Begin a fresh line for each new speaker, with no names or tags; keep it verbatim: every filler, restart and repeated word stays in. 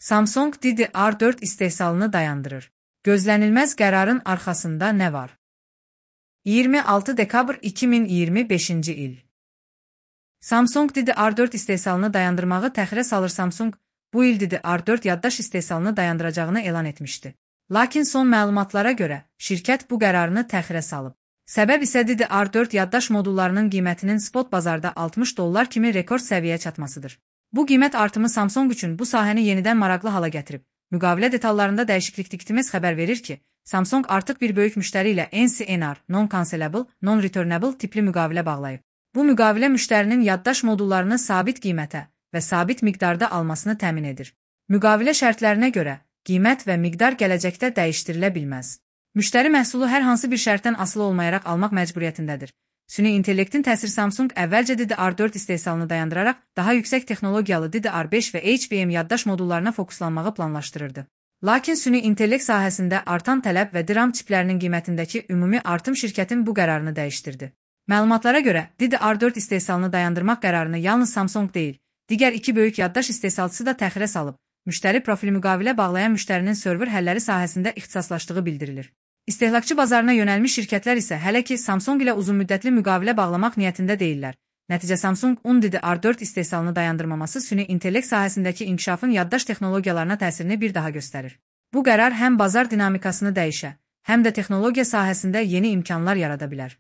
Samsung D D R dörd istehsalını dayandırır. Gözlənilməz qərarın arxasında nə var? iyirmi altı dekabr iki min iyirmi beşinci il. Samsung D D R dörd istehsalını dayandırmağı təxirə salır. Samsung bu il D D R dörd yaddaş istehsalını dayandıracağını elan etmişdi. Lakin son məlumatlara görə şirkət bu qərarını təxirə salıb. Səbəb isə D D R dörd yaddaş modullarının qiymətinin spot bazarda altmış dollar kimi rekord səviyyəyə çatmasıdır. Bu qiymət artımı Samsung üçün bu sahəni yenidən maraqlı hala gətirib. Müqavilə detallarında dəyişiklik etdiyimiz xəbər verir ki, Samsung artıq bir böyük müştəri ilə N C N R non-cancelable, non-returnable tipli müqavilə bağlayıb. Bu müqavilə müştərinin yaddaş modullarını sabit qiymətə və sabit miqdarda almasını təmin edir. Müqavilə şərtlərinə görə qiymət və miqdar gələcəkdə dəyişdirilə bilməz. Müştəri məhsulu hər hansı bir şərtdən asılı olmayaraq almaq məcburiyyətindədir. Süni intellektin təsiri Samsung əvvəlcə D D R dörd istehsalını dayandıraraq daha yüksək texnologiyalı D D R beş və H B M yaddaş modullarına fokuslanmağı planlaşdırırdı. Lakin süni intellekt sahəsində artan tələb və DRAM çiplərinin qiymətindəki ümumi artım şirkətin bu qərarını dəyişdirdi. Məlumatlara görə D D R dörd istehsalını dayandırmaq qərarını yalnız Samsung deyil, digər iki böyük yaddaş istehsalçısı da təxirə salıb. Müştəri profili müqavilə bağlayan müştərinin server həlləri sahəsində ixtisaslaşdığı bildirilir. İstehlakçı bazarına yönəlmiş şirkətlər isə hələ ki Samsung ilə uzunmüddətli müqavilə bağlamaq niyyətində deyillər. Nəticə Samsung un D D R dörd istehsalını dayandırmaması süni intellekt sahəsindəki inkişafın yaddaş texnologiyalarına təsirini bir daha göstərir. Bu qərar həm bazar dinamikasını dəyişə, həm də texnologiya sahəsində yeni imkanlar yarada bilər.